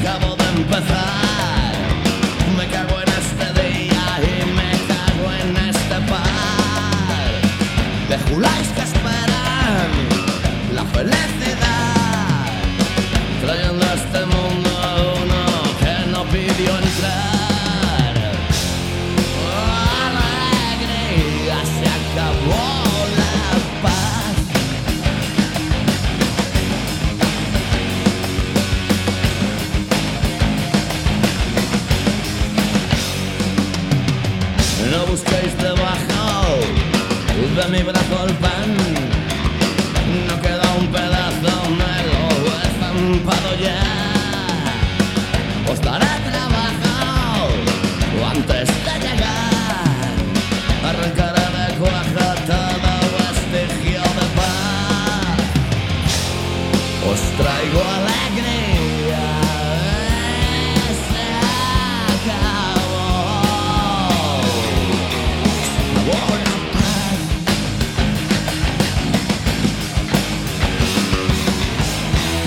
acabo de empezar. Me cago en este día y me cago en este par de juláis que esperan la felicidad, trayendo a este mundo a uno que no pidió entrar. Alegría, se acabó la paz. No busquéis debajo de mi brazo el pan, no queda un pedazo, me lo he estampado ya. Os daré trabajo antes de llegar, arrancaré de cuajo todo vestigio de paz. Os traigo alegría, se acabó.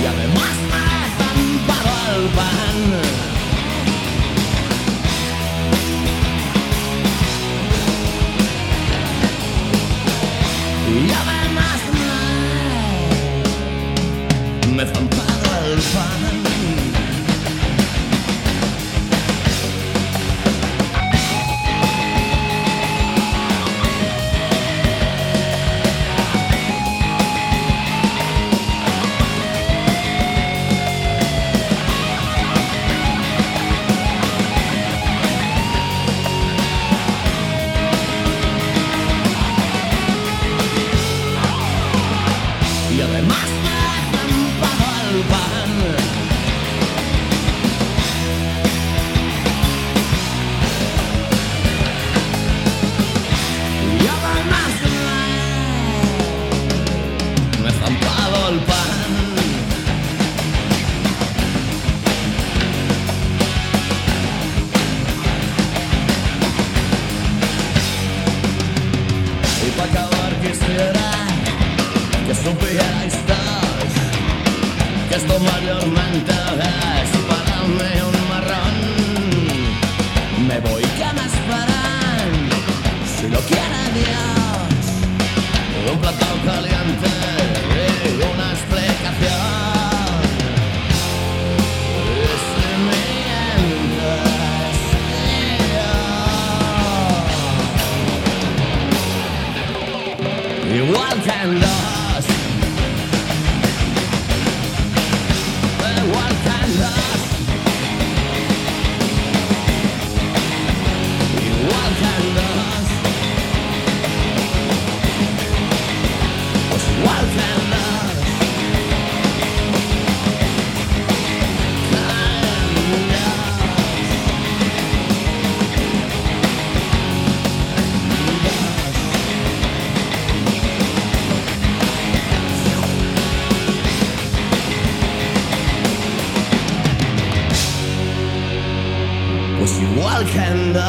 Y además me he estampado el pan. Y además me he estampado el pan. Y además me he estampado el pan. Y además me he estampado el pan. Y para acabar quisiera que supierais todos que esto mayormente es para mí un marrón. Me voy, que me esperan, si lo quiere Dios, un plato caliente y una explicación. Y si mientes, igual que en los igual que en los igual que en los pues igual que en los pues igual que en dos.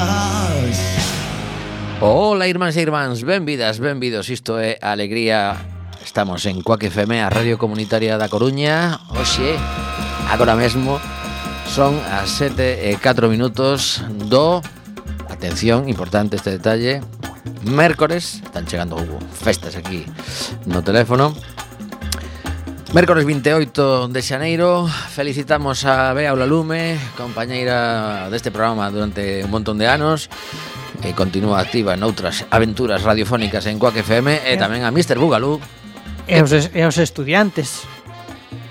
Ola, irmáns e irmáns, benvidas, benvidos. Isto é Alegría. Estamos en Cuac FM, a Radio Comunitaria da Coruña. Oxe, agora mesmo son as 7:04 do... Atención, importante este detalle. Mércores, están chegando festas aquí no teléfono. Mércores 28 de xaneiro. Felicitamos a Bea Olalume, compañeira deste programa durante un montón de anos, e continúa activa en outras aventuras radiofónicas en Cuac FM, e tamén a Mr. Bugalú e os estudiantes.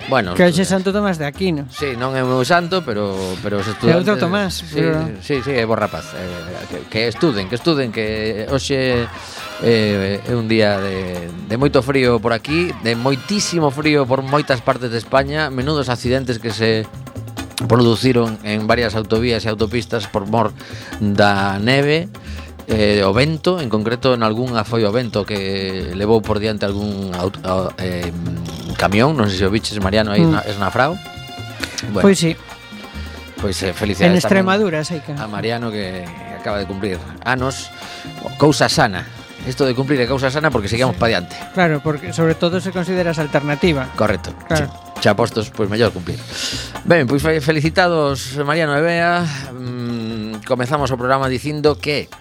Bueno, que hoxe é Santo Tomás de Aquino. Sí, non é o meu santo, pero os É estudantes. outro Tomás, Sí, pero... sí, é bo rapaz. Que estuden, que hoxe é un día de moito frío por aquí, de moitísimo frío por moitas partes de España, menudos accidentes que se produciron en varias autovías e autopistas por mor da neve. O vento, en concreto en algunha foi o vento que levou por diante algún camión, non sei se o biches, Mariano, aí na Esnafrao. Bueno, pois sí. Pois felicidades en Extremadura, sei que a Mariano, que acaba de cumplir anos. Cousa sana. Isto de cumplir é cousa sana porque seguimos pa diante. Claro, porque sobre todo se consideras alternativa. Correcto. Claro. Sí. xa postos, pois mellor cumplir. Ben, pois felicitados Mariano e Bea. Comezamos o programa dicindo que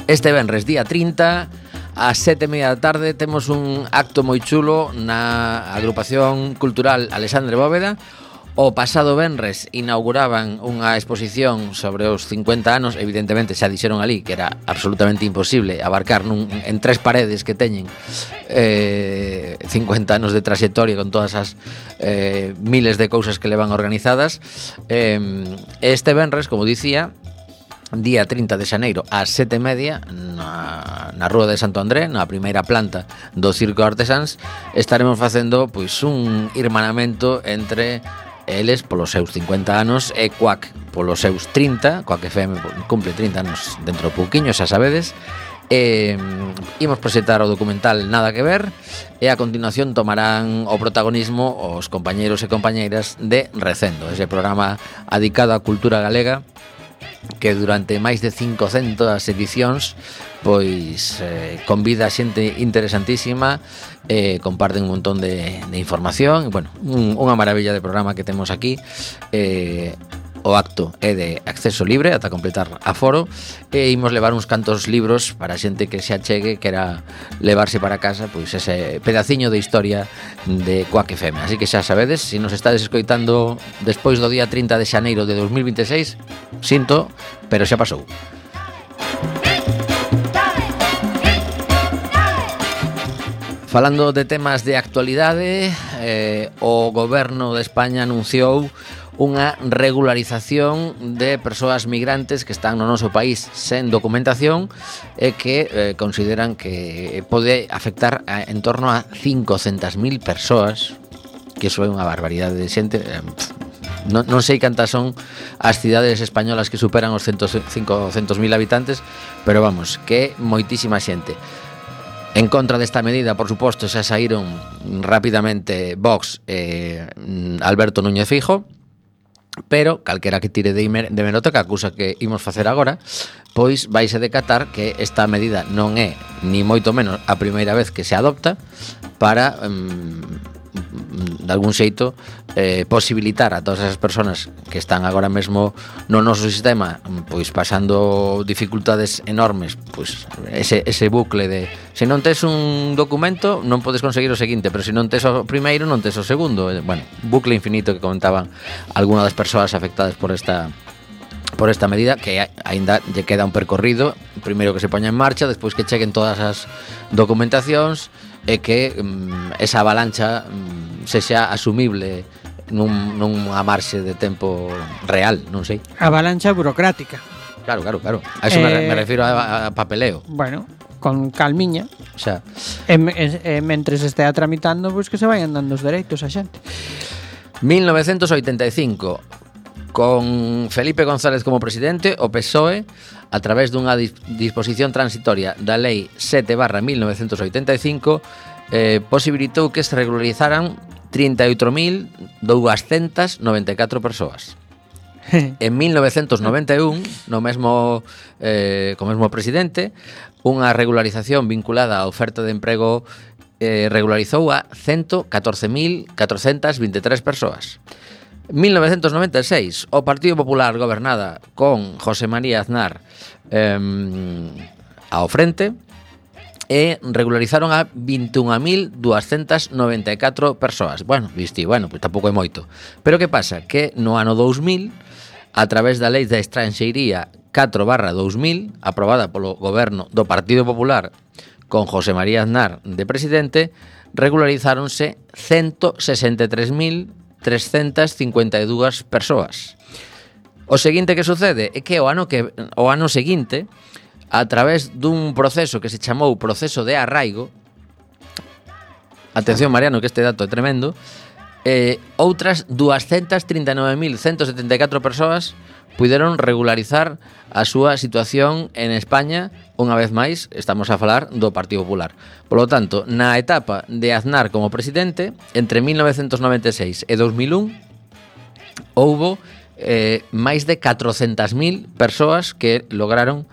este venres, día 30, ás 7:30 da tarde, temos un acto moi chulo na agrupación cultural Alexandre Bóveda. O pasado venres inauguraban unha exposición sobre os 50 anos. Evidentemente xa dixeron ali que era absolutamente imposible abarcar en 3 paredes que teñen 50 anos de trayectoria con todas as miles de cousas que levan organizadas. Este venres, como dicía, día 30 de xaneiro ás 7:30 na Rúa de Santo André, na primeira planta do Circo Artesáns, estaremos facendo pois un irmanamento entre eles polos seus 50 anos e Cuac polos seus 30. Cuac FM cumple 30 anos dentro do pouquiño, xa sabedes. Imos presentar o documental Nada que ver e a continuación tomarán o protagonismo os compañeiros e compañeiras de Recendo, ese programa adicado á cultura galega que durante máis de 500 edicións pois convida a xente interesantísima, comparten un montón de información. Bueno, unha maravilla de programa que temos aquí. O acto é de acceso libre ata completar aforo e imos levar uns cantos libros para a xente que se achegue, que era levarse para casa pois ese pedaciño de historia de Cuac FM. Así que xa sabedes, se nos estades escoitando despois do día 30 de xaneiro de 2026, sinto, pero xa pasou. Falando de temas de actualidade, o goberno de España anunciou unha regularización de persoas migrantes que están no noso país sen documentación e que consideran que pode afectar en torno a 500.000 persoas, que iso é unha barbaridade de xente. Non sei cantas son as cidades españolas que superan os 500.000 habitantes, pero vamos, que moitísima xente. En contra desta medida, por suposto, xa saíron rapidamente Vox e Alberto Núñez Fijo, pero calquera que tire de hemeroteca, a cousa que imos facer agora, pois vaise decatar que esta medida non é ni moito menos a primeira vez que se adopta para de algún xeito posibilitar a todas esas persoas que están agora mesmo no noso sistema pois pasando dificultades enormes, pois ese bucle de se non tes un documento non podes conseguir o seguinte, pero se non tes o primeiro non tes o segundo. Bueno, bucle infinito que comentaban algunhas das persoas afectadas por esta medida, que aínda lle queda un percorrido, primeiro que se poña en marcha, despois que cheguen todas as documentacións e que esa avalancha sexa asumible nunha marxe de tempo real, non sei. Avalancha burocrática. Claro. A eso me refiro a papeleo. Bueno, con calmiña. O sea, mentres estea tramitando, pois que se vayan dando os dereitos a xente. 1985, con Felipe González como presidente, o PSOE, a través dunha disposición transitoria da Lei 7/1985, posibilitou que se regularizaran 38.294 persoas. En 1991, co mesmo presidente, unha regularización vinculada á oferta de emprego regularizou a 114.423 persoas. 1996, o Partido Popular gobernada con José María Aznar ao frente e regularizaron a 21.294 persoas. Bueno, pois tampouco é moito. Pero que pasa? Que no ano 2000, a través da Lei da Estranxeiría 4/2000, aprobada polo goberno do Partido Popular con José María Aznar de presidente, regularizáronse 163.352 persoas. O seguinte que sucede é que o ano seguinte, a través dun proceso que se chamou proceso de arraigo, atención Mariano que este dato é tremendo, outras 239.174 persoas puideron regularizar a súa situación en España. Unha vez máis, estamos a falar do Partido Popular. Por lo tanto, na etapa de Aznar como presidente, entre 1996 e 2001, houbo máis de 400.000 persoas que lograron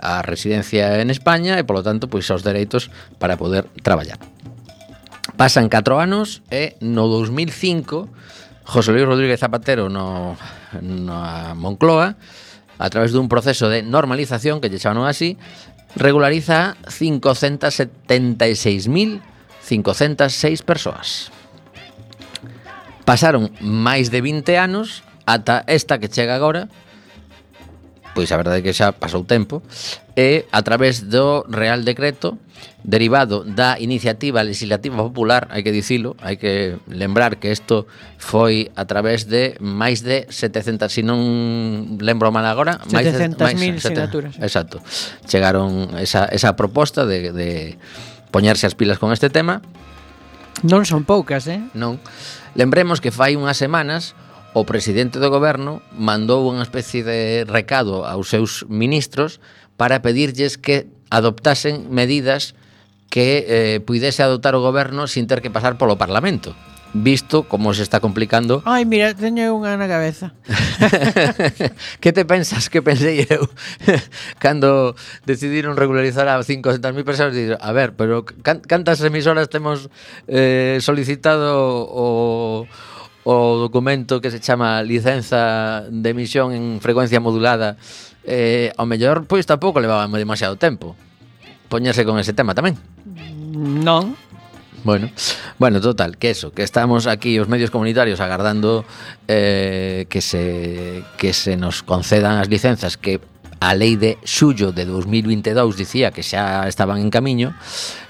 a residencia en España e, polo tanto, pois os dereitos para poder traballar. Pasan 4 anos e no 2005 José Luis Rodríguez Zapatero no Moncloa, a través dun proceso de normalización, que lle chamaron así, regulariza 576.506 persoas. Pasaron máis de 20 anos ata esta que chega agora, pois a verdade é que xa pasou tempo, e a través do Real Decreto derivado da iniciativa legislativa popular, hai que dicilo, hai que lembrar que isto foi a través de máis de 700, se non lembro mal agora, 700.000 sinaturas. Exacto. Chegaron esa proposta de poñerse as pilas con este tema. Non son poucas, Non. Lembremos que fai unhas semanas o presidente do goberno mandou unha especie de recado aos seus ministros para pedirlles que adoptasen medidas que puidese adoptar o goberno sin ter que pasar polo Parlamento, visto como se está complicando. Ai, mira, teño unha na cabeza. Que te pensas que pensei eu cando decidiron regularizar a 500.000 persoas? Digo, a ver, pero cantas emisoras temos solicitado o documento que se chama licenza de emisión en frecuencia modulada? Ao mellor, pois tampouco levaba demasiado tempo poñerse con ese tema tamén. Non. Bueno, total, que estamos aquí os medios comunitarios agardando que se nos concedan as licenzas que a lei de xullo de 2022 dicía que xa estaban en camiño.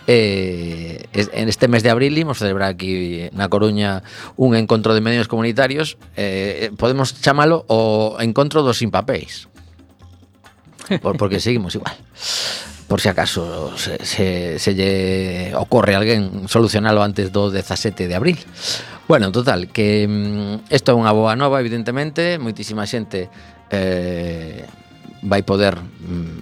En este mes de abril imos celebrar aquí na Coruña un encontro de medios comunitarios, podemos chamalo o encontro dos sin papéis, porque seguimos igual, por si acaso se lle ocorre a alguén solucionalo antes do 17 de abril. Bueno, total, que isto é unha boa nova, evidentemente. Moitísima xente vai poder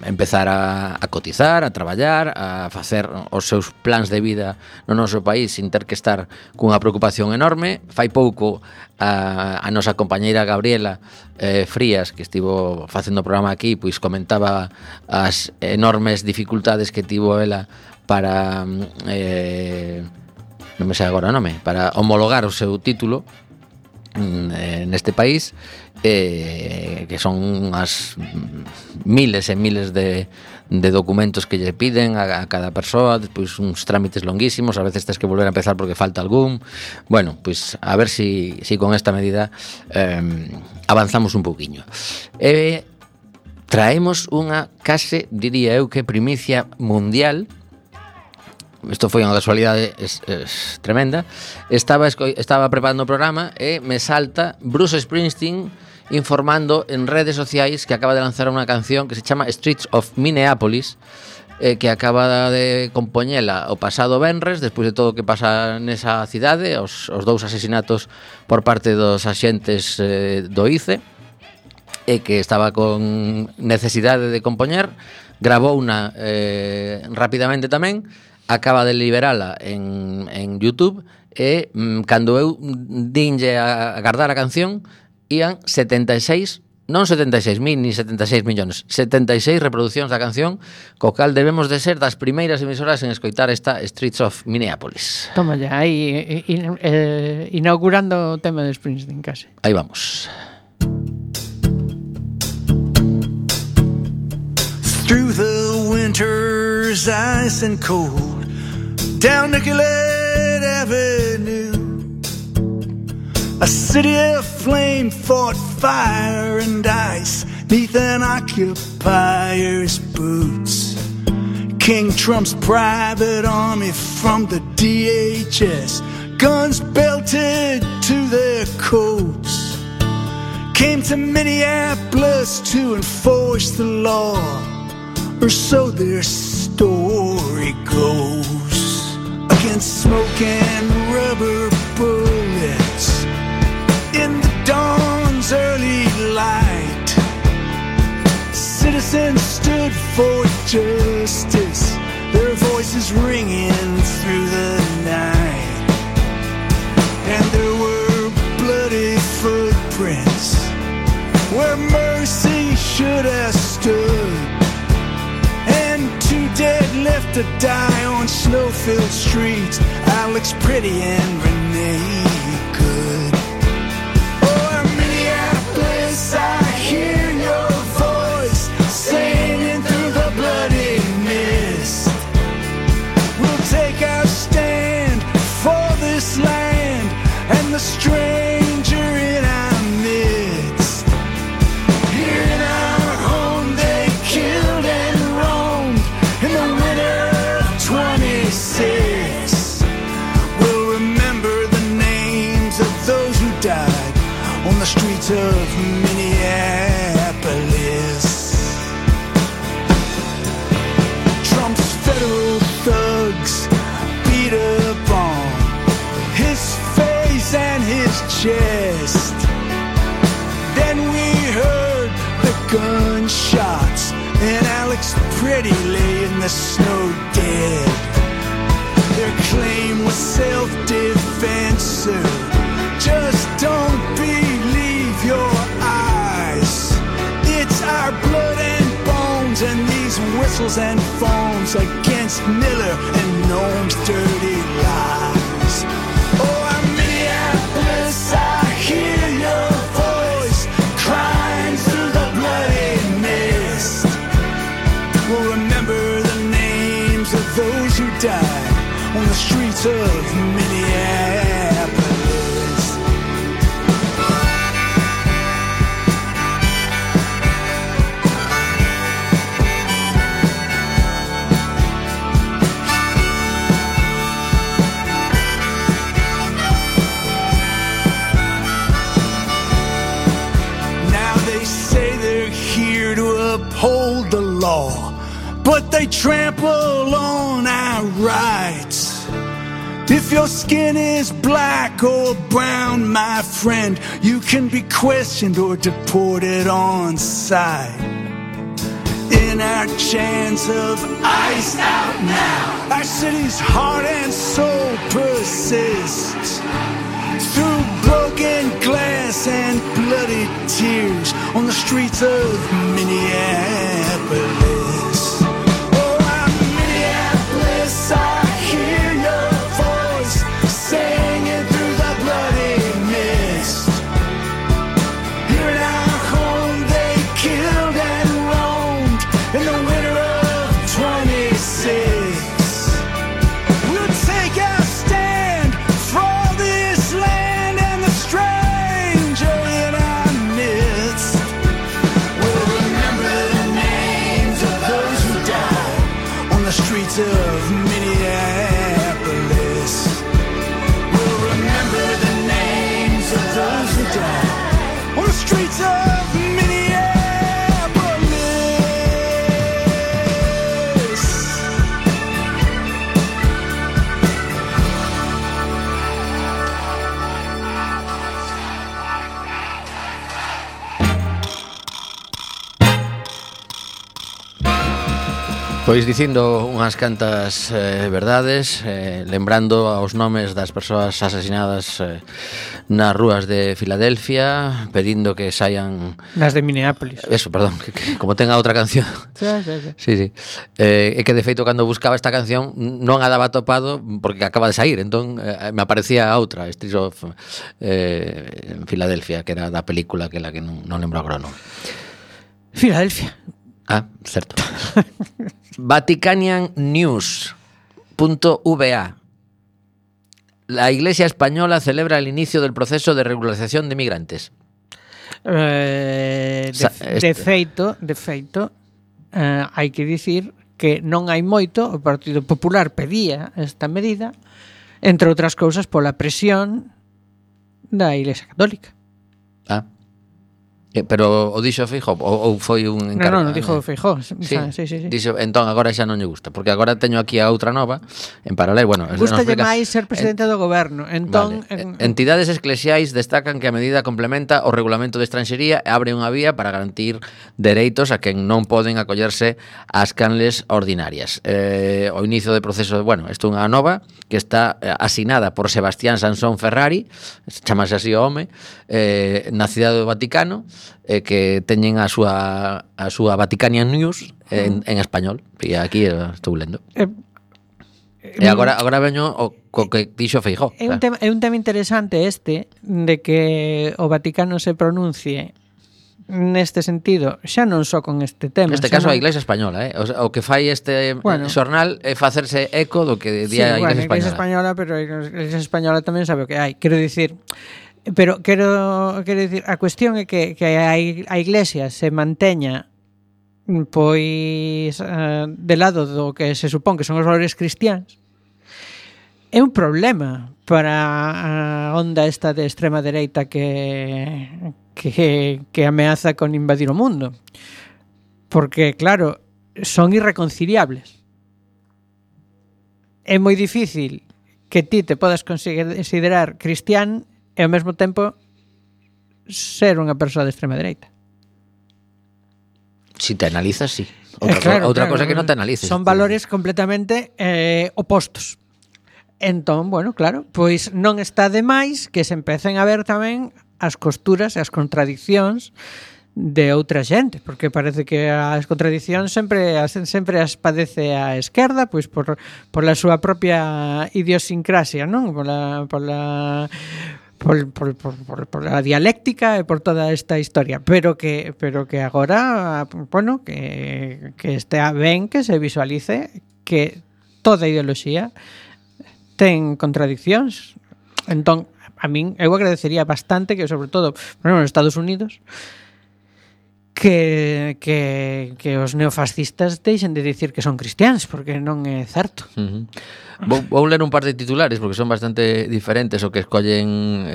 empezar a cotizar, a traballar, a facer os seus plans de vida no noso país sin ter que estar cunha preocupación enorme. Fai pouco a nosa compañeira Gabriela Frías, que estivo facendo o programa aquí, pois comentaba as enormes dificultades que tivo ela para non me sei agora o nome, para homologar o seu título neste país, que son unhas miles e miles de documentos que lle piden a cada persoa, despois uns trámites longuísimos, a veces tens que volver a empezar porque falta algún. Bueno, pois a ver si con esta medida avanzamos un pouquiño. Traemos unha case, diría eu, que primicia mundial. Isto foi unha casualidade tremenda. Estaba preparando o programa e me salta Bruce Springsteen informando en redes sociais que acaba de lanzar unha canción que se chama Streets of Minneapolis, que acaba de compoñela o pasado venres, despois de todo o que pasa nesa cidade, os 2 asesinatos por parte dos axentes do ICE, e que estaba con necesidade de compoñer. Grabouna rapidamente tamén, acaba de liberala en YouTube, e cando eu dinlle a guardar a canción, ían 76, non 76.000 ni 76 millóns, 76 reproduccións da canción, co cal debemos de ser das primeiras emisoras en escoitar esta Streets of Minneapolis. Toma ya, aí inaugurando o tema de Springsteen case. Aí vamos. Through the winter's ice and cold, down Nicollet Avenue, a city of flame fought fire and ice neath an occupier's boots. King Trump's private army from the DHS, guns belted to their coats, came to Minneapolis to enforce the law, or so their story goes. Against smoke and rubber bullets in the dawn's early light, citizens stood for justice, their voices ringing through the night. And there were bloody footprints where mercy should have stood, and 2 dead left have to die on snow-filled streets. Alex Pretty and Renee Good. Oh, Minneapolis, I hear your voice singing through the bloody mist. We'll take our stand for this land and the stranger in our midst. Here in our home they killed and roamed in the winter of 26. We'll remember the names of those who died on the streets of Minneapolis. Trump's federal thugs beat up on his face and his chest. Then we heard the gunshots and Alex Pretty lay in the snow dead. Their claim was self-defense, sir. Just don't believe your eyes. It's our blood and bones and these whistles and phones against Miller and Noam's dirty lies. Oh, I'm Minneapolis, I hear your voice crying through the bloody mist. We'll remember the names of those who died on the streets of Minneapolis. Now they say they're here to uphold the law, but they trample on our rights. If your skin is black or brown, my friend, you can be questioned or deported on sight. In our chance of ice out now, our city's heart and soul persists. Through broken glass and bloody tears on the streets of Minneapolis. Oh, I'm Minneapolis, I hear your voice singing through the bloody mist. Here in our home they killed and roamed in the winter of 26. We'll take our stand for this land and the stranger in our midst. We'll remember the names of those who died on the streets of Minneapolis. We'll remember the names of those who died on the streets of Minneapolis. Pois dicindo unhas cantas verdades, lembrando aos nomes das persoas asasinadas nas rúas de Filadelfia, pedindo que saian... Nas de Minneapolis. Eso, perdón, que como ten a outra canción. Sí. Sí. E que de feito cando buscaba esta canción non a daba topado porque acaba de sair, entón me aparecía a outra, Streets of en Filadelfia, que era da película que non lembro agora o nome. Filadelfia. Ah, certo. Vaticaniannews.va. La Iglesia española celebra el inicio del proceso de regularización de migrantes. De feito, hai que dicir que non hai moito. O Partido Popular pedía esta medida, entre outras cousas pola presión da Iglesia Católica. Ah. Pero o dixo Feijóo ou foi un encargo? Non, dixo Feijóo. Sí. Dixo, entón agora xa non lle gusta, porque agora teño aquí a outra nova en paralelo. Bueno, gustalle máis ser presidente do goberno. Entón, vale. Entidades eclesiais destacan que a medida complementa o regulamento de estranxería e abre unha vía para garantir dereitos a quen non poden acollerse ás canles ordinarias. O inicio de proceso, bueno, isto é unha nova que está asinada por Sebastián Sansón Ferrari, chamase así o home, na cidade do Vaticano. que teñen a súa Vaticanian News en español. E aquí estou lendo. E agora veño co que dixo Feijóo. É un tema interesante este de que o Vaticano se pronuncie neste sentido, xa non só con este tema. Neste caso a Iglesia Española, o que fai este xornal é facerse eco do que di a Iglesia Española. Iglesia Española, pero a Iglesia Española tamén sabe o que hai. Quero dicir, a cuestión é que a Iglesia se manteña pois de lado do que se supón que son os valores cristiáns. É un problema para a onda esta de extrema dereita que ameaza con invadir o mundo. Porque, claro, son irreconciliables. É moi difícil que ti te podas considerar cristián e ao mesmo tempo ser unha persoa de extrema dereita. Si te analizas, sí. Outra cosa que non te analices. Son valores completamente opostos. Entón, bueno, claro, pois non está de máis que se empecen a ver tamén as costuras e as contradicións de outra xente, porque parece que as contradicións sempre as padece a esquerda, pois por a súa propia idiosincrasia, non? Por la dialéctica e por toda esta historia, pero que agora, bueno, que estea ben que se visualice que toda ideoloxía ten contradicións. Entón, a min eu agradecería bastante que, sobre todo, por exemplo, nos Estados Unidos, que os neofascistas deixen de dicir que son cristiáns, porque non é certo. Vou ler un par de titulares porque son bastante diferentes o que escollen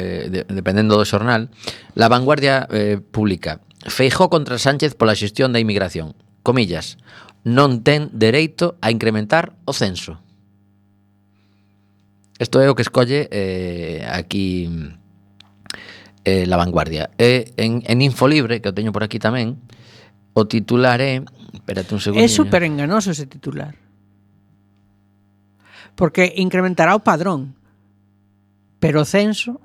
dependendo do xornal. La Vanguardia publica: Feijóo contra Sánchez pola xestión da inmigración. Comillas: non ten dereito a incrementar o censo. Isto é o que escolle aquí La Vanguardia. En Infolibre, que o teño por aquí tamén, o titular é... Espérate un segundo. É super enganoso ese titular. Porque incrementará o padrón, pero o censo...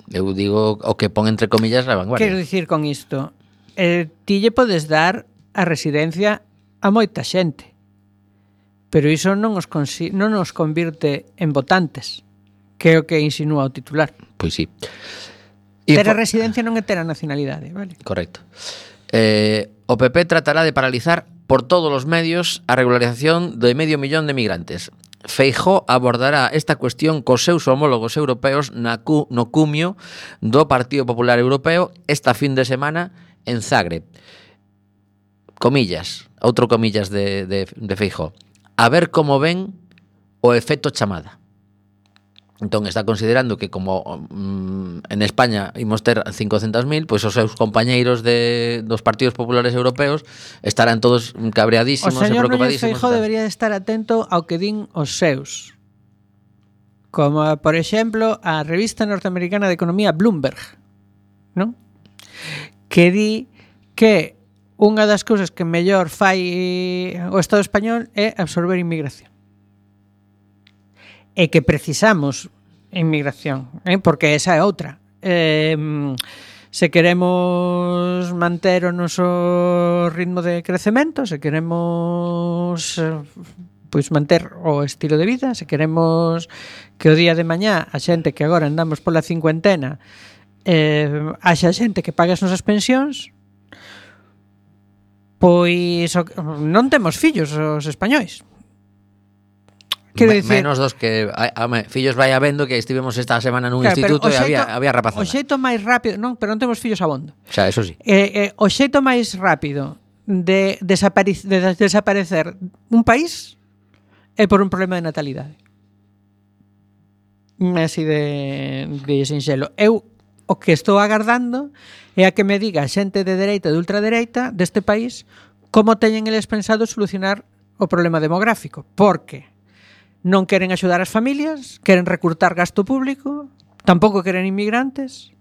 Eu digo o que pon entre comillas La Vanguardia. Quero dicir con isto, ti lle podes dar a residencia a moita xente, pero iso non nos convirte en votantes, que é o que insinúa o titular. Pois sí. Ter a residencia non é ter a nacionalidade, vale? Correcto. O PP tratará de paralizar por todos os medios a regularización de 500.000 de migrantes. Feijóo abordará esta cuestión cos seus homólogos europeos no cumio do Partido Popular Europeo esta fin de semana en Zagreb. Comillas, outro comillas de Feijóo. A ver como ven o efecto chamada. Entón está considerando que como en España imos ter 500.000, pois os seus compañeiros dos partidos populares europeos estarán todos cabreadísimos e preocupadísimos. O señor Feijóo debería estar atento ao que din os seus. Como, por exemplo, a revista norteamericana de economía Bloomberg, non? Que di que unha das cousas que mellor fai o Estado español é absorber inmigración. E que precisamos inmigración, porque esa é outra. Se queremos manter o noso ritmo de crecemento, se queremos pois manter o estilo de vida, se queremos que o día de mañá a xente que agora andamos pola cincuentena haxa xente que pague as nosas pensións, pois non temos fillos os españois. Quero dicir, menos dos que fillos vai habendo, que estivemos esta semana nun instituto e había rapazada. O xeito máis rápido, non, pero non temos fillos abondo. Xa, eso sí. O xeito máis rápido de desaparecer un país é por un problema de natalidade. Así de sinxelo. Eu o que estou agardando é a que me diga a xente de dereita e de ultradereita deste país como teñen eles pensado solucionar o problema demográfico, porque non queren axudar as familias, queren recrutar gasto público, tampouco queren inmigrantes.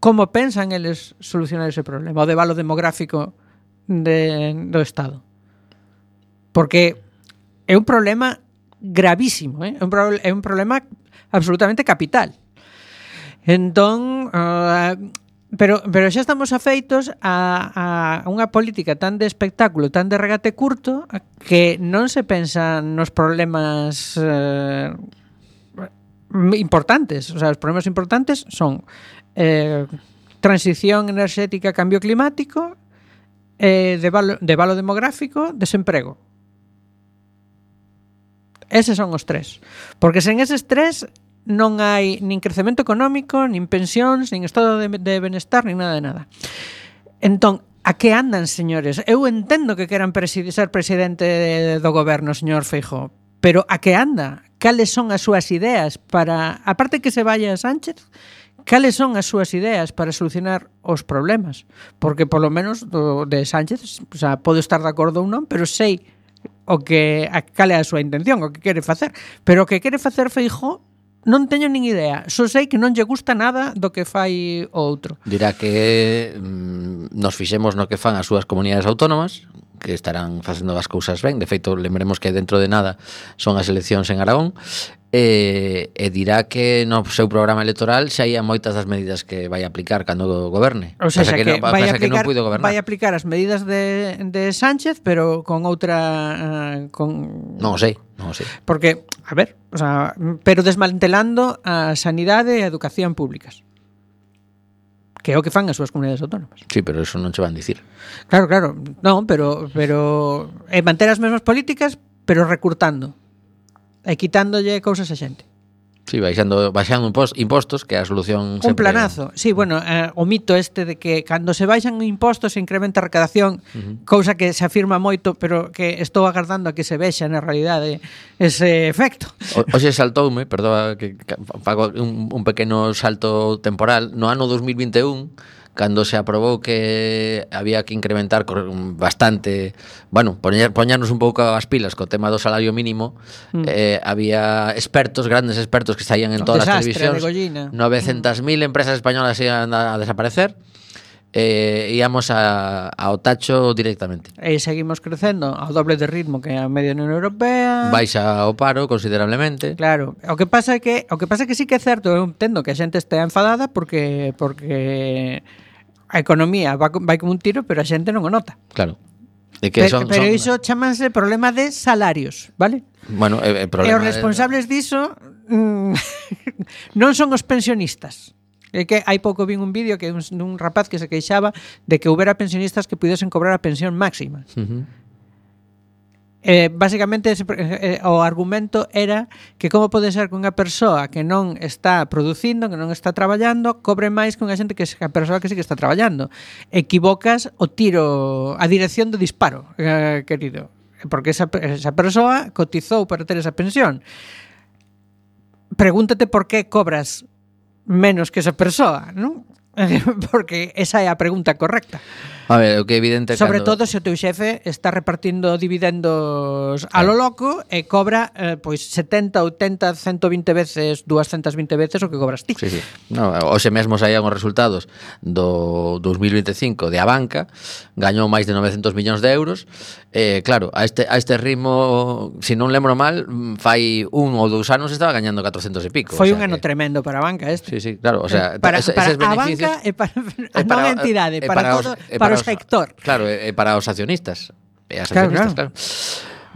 Como pensan eles solucionar ese problema, o debalo demográfico do Estado? Porque é un problema gravísimo, é un problema absolutamente capital. Entón, Pero xa estamos afeitos a unha política tan de espectáculo, tan de regate curto, que non se pensa nos problemas importantes. O sea, os problemas importantes son transición enerxética, cambio climático, devalo demográfico, desemprego. Eses son os tres. Porque sen eses tres non hai nin crecemento económico, nin pensións, nin estado de benestar, nin nada de nada. Entón, a que andan, señores? Eu entendo que queran ser presidente do goberno, señor Feijóo, pero a que anda? Cales son as súas ideas para... Aparte que se vaya Sánchez, cales son as súas ideas para solucionar os problemas? Porque, polo menos, de Sánchez, o sea, podo estar de acordo ou non, pero sei cal é a súa intención, o que quere facer. Pero o que quere facer Feijóo non teño nin idea. Só sei que non lle gusta nada do que fai o outro. Dirá que nos fixemos no que fan as súas comunidades autónomas, que estarán facendo as cousas ben. De feito, lembremos que dentro de nada son as eleccións en Aragón. E dirá que no seu programa electoral xa hai moitas das medidas que vai aplicar cando goberne. O sea, que vai vai aplicar as medidas de Sánchez, pero con outra Non o sei. Porque, a ver, o sea, pero desmantelando a sanidade e a educación públicas. Que é o que fan as súas comunidades autónomas. Sí, pero eso non che van dicir. Claro. Non, pero manter as mesmas políticas, pero recurtando. E quitándolle cousas a xente. Sí, baixando impostos, que é a solución sempre... Un planazo. Sí, bueno, o mito este de que cando se baixan impostos se incrementa a recadación, cousa que se afirma moito, pero que estou agardando a que se vexa na realidade ese efecto. Hoxe saltoume, perdoa que fago un pequeno salto temporal, no ano 2021, cando se aprobou que había que incrementar bastante, bueno, poñarnos un pouco as pilas co tema do salario mínimo, había grandes expertos que saían en todas as televisións, 900.000 empresas españolas iban a desaparecer, íamos ao tacho directamente. E seguimos crecendo ao doble de ritmo que a media Unión Europea. Baixa o paro considerablemente. Claro, o que pasa é que sí que é certo, eu entendo que a xente estea enfadada porque a economía vai como un tiro, pero a xente non o nota. Claro. Pero iso chamanse problema de salarios, vale? Bueno, e os responsables diso non son os pensionistas. É que hai pouco vin un vídeo que un rapaz que se queixaba de que houbera pensionistas que pudesen cobrar a pensión máxima. Básicamente o argumento era que como pode ser que unha persoa que non está producindo, que non está traballando, cobre máis que unha xente que a persoa que sí que está traballando. Equivocas o tiro, a dirección do disparo, querido, porque esa persoa cotizou para ter esa pensión. Pregúntate por que cobras menos que esa persoa, non? Porque esa é a pregunta correcta. A ver, o que é evidente sobre todo se o teu xefe está repartindo dividendos a lo loco e cobra pois 70, 80, 120 veces, 220 veces o que cobras ti. Sí. No, hoxe mesmo saían os resultados do 2025 de Abanca, gañou máis de 900 millóns de euros. Claro, a este ritmo, se non lembro mal, fai 1 ou 2 anos estaba gañando 400 e pico. Foi un ano tremendo para a banca este. Sí, claro, o sea, para a banca e para a non entidade, para os sector. Claro, e para os accionistas. E as accionistas, claro.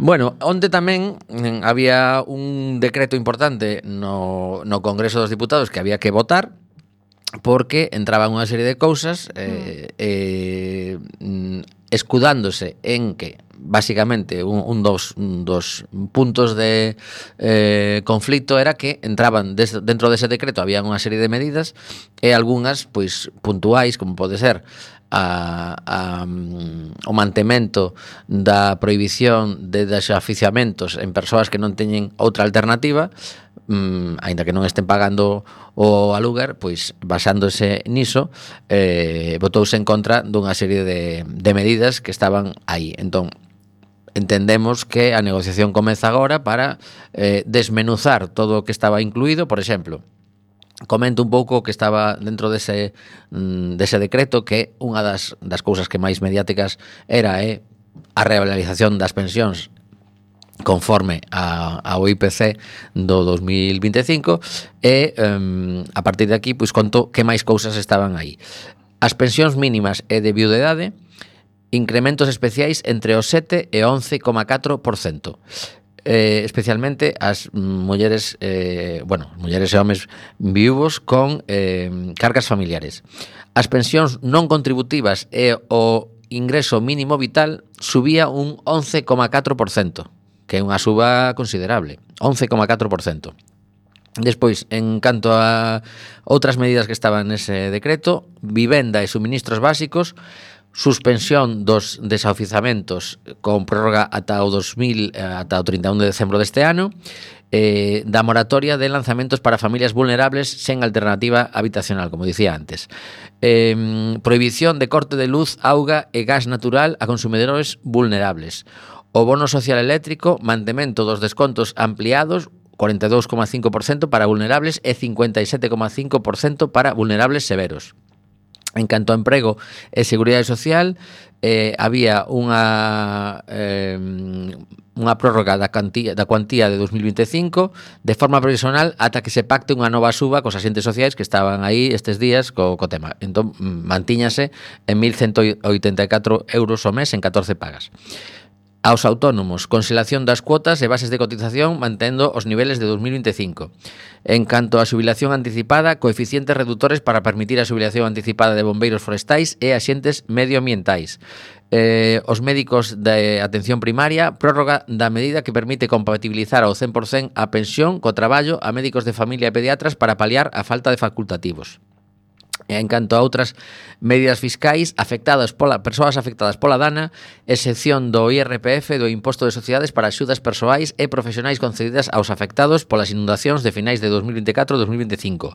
Bueno, onde tamén había un decreto importante no Congreso dos Diputados que había que votar, porque entraban unha serie de cousas escudándose en que básicamente un dos puntos de conflito era que entraban dentro dese decreto, había unha serie de medidas e algunhas pois puntuais, como pode ser o mantemento da prohibición de desaficiamentos en persoas que non teñen outra alternativa, aínda que non estén pagando o aluguer, pois basándose niso votouse en contra dunha serie de medidas que estaban aí. Entón, entendemos que a negociación comeza agora para desmenuzar todo o que estaba incluído. Por exemplo, comento un pouco que estaba dentro dese decreto, que unha das cousas que máis mediáticas era a revalorización das pensións conforme ao IPC do 2025 e a partir de aquí pois conto que máis cousas estaban aí. As pensións mínimas e de viudedade, incrementos especiais entre o 7 e 11,4%. Especialmente as mulleres, mulleres e homes viúvos con cargas familiares. As pensións non contributivas e o ingreso mínimo vital subía un 11,4%, que é unha suba considerable, 11,4%. Despois, en canto a outras medidas que estaban nese decreto, vivenda e suministros básicos, suspensión dos desaofizamentos con prórroga ata o 31 de decembro deste ano, da moratoria de lanzamentos para familias vulnerables sen alternativa habitacional, como dicía antes. Prohibición de corte de luz, auga e gas natural a consumidores vulnerables. O bono social eléctrico, mantemento dos descontos ampliados, 42,5% para vulnerables e 57,5% para vulnerables severos. En canto a emprego e seguridade social, había unha prórroga da cuantía de 2025 de forma provisional ata que se pacte unha nova suba cos axentes sociais que estaban aí estes días co tema. Entón, mantíñase en 1.184 euros ao mes en 14 pagas. Aos autónomos, conxelación das cuotas e bases de cotización mantendo os niveles de 2025. En canto á xubilación anticipada, coeficientes reductores para permitir a xubilación anticipada de bombeiros forestais e axentes medioambientais. Os médicos de atención primaria, prórroga da medida que permite compatibilizar ao 100% a pensión co traballo a médicos de familia e pediatras para paliar a falta de facultativos. En canto a outras medidas fiscais persoas afectadas pola dana, excepción do IRPF do Imposto de Sociedades para axudas persoais e profesionais concedidas aos afectados polas inundacións de finais de 2024 e 2025.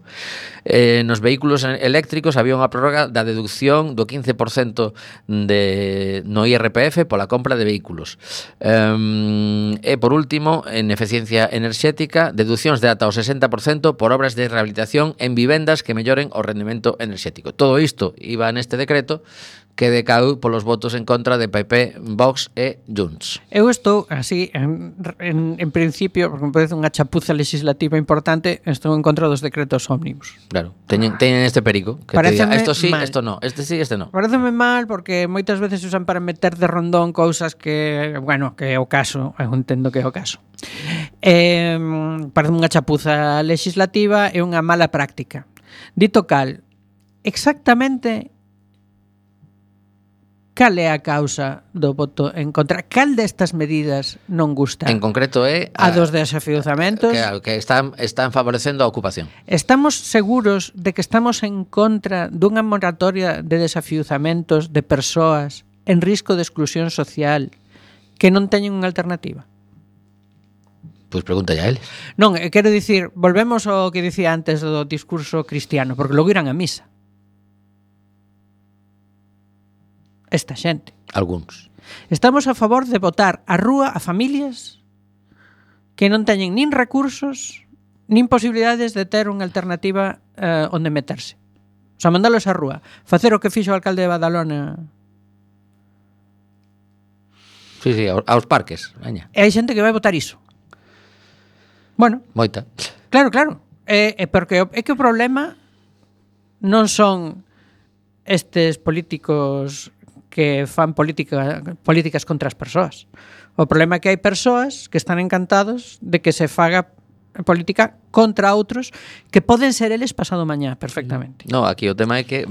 Nos vehículos eléctricos había unha prórroga da deducción do 15% no IRPF pola compra de vehículos. E por último, en eficiencia enerxética, deduccións de ata o 60% por obras de rehabilitación en vivendas que melloren o rendemento enerxético. Todo isto iba neste decreto que decau polos votos en contra de PP, Vox e Junts. Eu estou así, en principio, porque me parece unha chapuza legislativa importante, estou en contra dos decretos ómnibus. Claro, teñen este perico que te diga, esto sí, esto no, este sí, este no. Pareceme mal porque moitas veces usan para meter de rondón cousas que, que é o caso, eu entendo que é o caso. Parece unha chapuza legislativa e unha mala práctica. Dito cal, exactamente cal é a causa do voto en contra? Cal destas medidas non gusta? En concreto é a dos desafiuzamentos que están favorecendo a ocupación. Estamos seguros de que estamos en contra dunha moratoria de desafiuzamentos de persoas en risco de exclusión social que non teñen unha alternativa? Pois pregunta a eles. Non, quero dicir, volvemos ao que dicía antes do discurso cristiano, porque logo irán a misa. Esta xente. Algúns. Estamos a favor de botar a rúa a familias que non teñen nin recursos nin posibilidades de ter unha alternativa onde meterse. O sea, mandalos a rúa. Facer o que fixo o alcalde de Badalona. Sí, aos parques. Veña. E hai xente que vai votar iso. Bueno. Moita. Claro. Porque é que o problema non son estes políticos que fan políticas contra as persoas. O problema é que hai persoas que están encantados de que se faga política contra outros que poden ser eles pasado mañá perfectamente. No, aquí o tema é que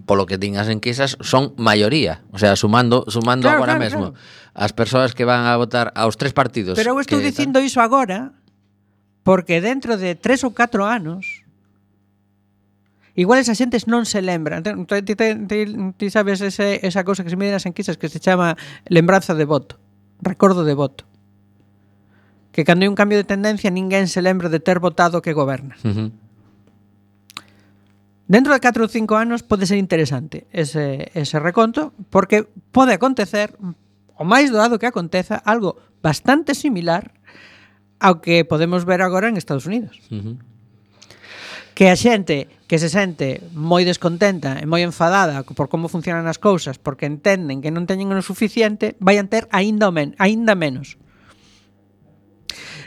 polo que din as enquisas son maioría, o sea, sumando claro, agora mesmo as persoas que van a votar aos tres partidos. Pero eu estou dicindo iso agora porque dentro de 3 ou 4 anos igual esa xentes non se lembra. Ti sabes esa cousa que se mide nas enquisas que se chama lembranza de voto, recordo de voto. Que cando hai un cambio de tendencia ninguén se lembra de ter votado que goberna. Uh-huh. Dentro de 4 ou 5 anos pode ser interesante ese reconto, porque pode acontecer, o máis doado que aconteza, algo bastante similar ao que podemos ver agora en Estados Unidos. Uh-huh. Que a xente que se sente moi descontenta e moi enfadada por como funcionan as cousas porque entenden que non teñen o suficiente vayan ter aínda menos.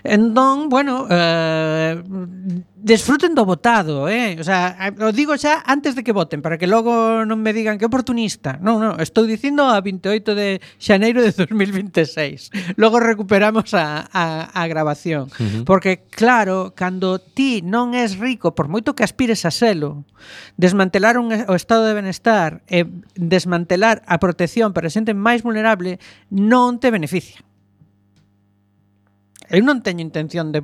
Entón, bueno, desfruten do votado, O sea, o digo xa antes de que voten, para que logo non me digan que oportunista. Non, estou dicindo a 28 de xaneiro de 2026. Logo recuperamos a grabación. Porque, claro, cando ti non és rico, por moito que aspires a selo, desmantelar o estado de benestar e desmantelar a protección para a xente máis vulnerable non te beneficia. Eu non teño intención de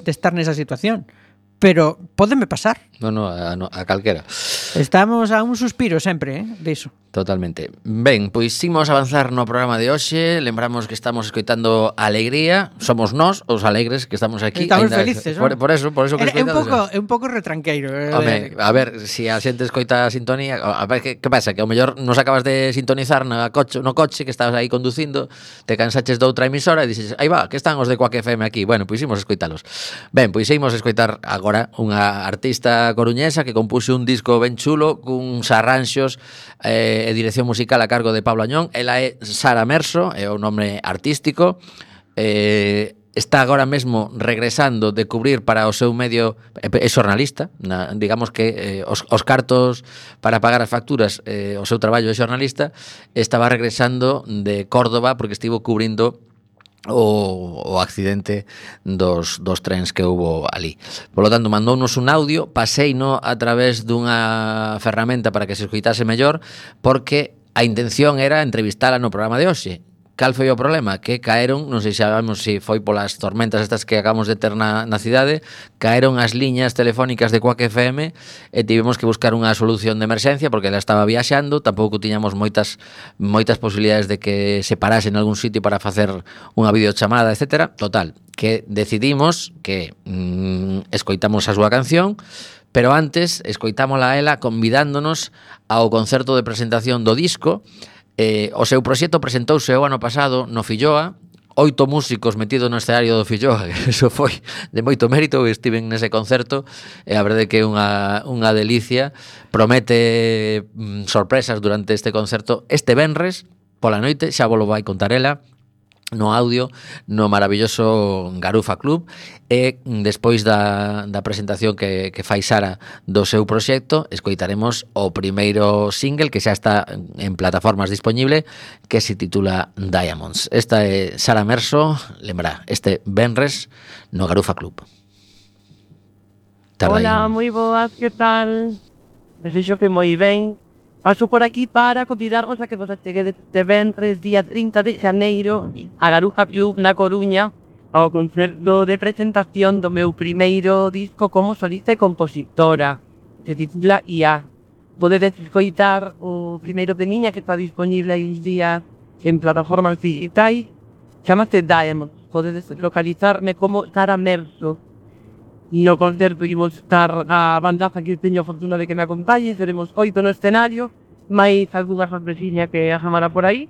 estar nesa situación, pero pódeme pasar. No, a calquera. Estamos a un suspiro sempre, diso. Totalmente. Ben, pois imos avanzar no programa de hoxe. Lembramos que estamos escoitando Alegría. Somos nós, os alegres, que estamos aquí. Estamos felices, non? Por eso que escoitamos. É un pouco retranqueiro. Home, a ver, se a xente escoita a sintonía, a ver, que pasa? Que ao mellor nos acabas de sintonizar no coche que estabas aí conducindo, te cansaches de outra emisora e dixes, aí va, que están os de Quack FM aquí. Bueno, pois imos escoitalos. Ben, pois imos escoitar agora unha artista coruñesa que compuxe un disco ben chulo, cuns arranxos e dirección musical a cargo de Pablo Añón. Ela é Sara Merso, é o nome artístico. Está agora mesmo regresando de cubrir para o seu medio, é xornalista, digamos que os cartos para pagar as facturas, o seu traballo de xornalista, estaba regresando de Córdoba porque estivo cubrindo o accidente dos trens que houbo ali. Por lo tanto, mandounos un audio, paseino a través dunha ferramenta para que se escoitase mellor, porque a intención era entrevistala no programa de hoxe. Cal foi o problema? Que caeron, non sei se sabemos se foi polas tormentas estas que acabamos de ter na cidade, caeron as liñas telefónicas de Quack FM e tivemos que buscar unha solución de emerxencia porque ela estaba viaxando, tampouco tiñamos moitas posibilidades de que se parase en algún sitio para facer unha videochamada, etc. Total, que decidimos que escoitamos a súa canción, pero antes escoitámola a ela convidándonos ao concerto de presentación do disco. O seu proxecto presentouse o ano pasado no Filloa, 8 músicos metidos no escenario do Filloa, eso foi de moito mérito, estiven nese concerto, e a verdade que é unha delicia, promete sorpresas durante este concerto este venres pola noite, xa vos lo vai contar ela, no audio, no maravilloso Garufa Club, e despois da presentación que fai Sara do seu proxecto, escoitaremos o primeiro single que xa está en plataformas disponible, que se titula Diamonds. Esta é Sara Merso, lembra, este venres no Garufa Club. Hola, moi boas, que tal? Desexo que moi ben. Paso por aquí para convidarvos a que vos acheguedes este venres, día 30 de xaneiro, a Garufa Club na Coruña, ao concerto de presentación do meu primeiro disco como solista e compositora. Se titula IA. Podedes escoitar o primeiro de miña que está disponible aí uns días en plataformas digitais. Chámase Diamonds. Podedes localizarme como Sara Merso. No concerto imos estar a bandaza que teño a fortuna de que me acompañe, seremos 8 no escenario, máis algunha sorpresiña que asamara por aí.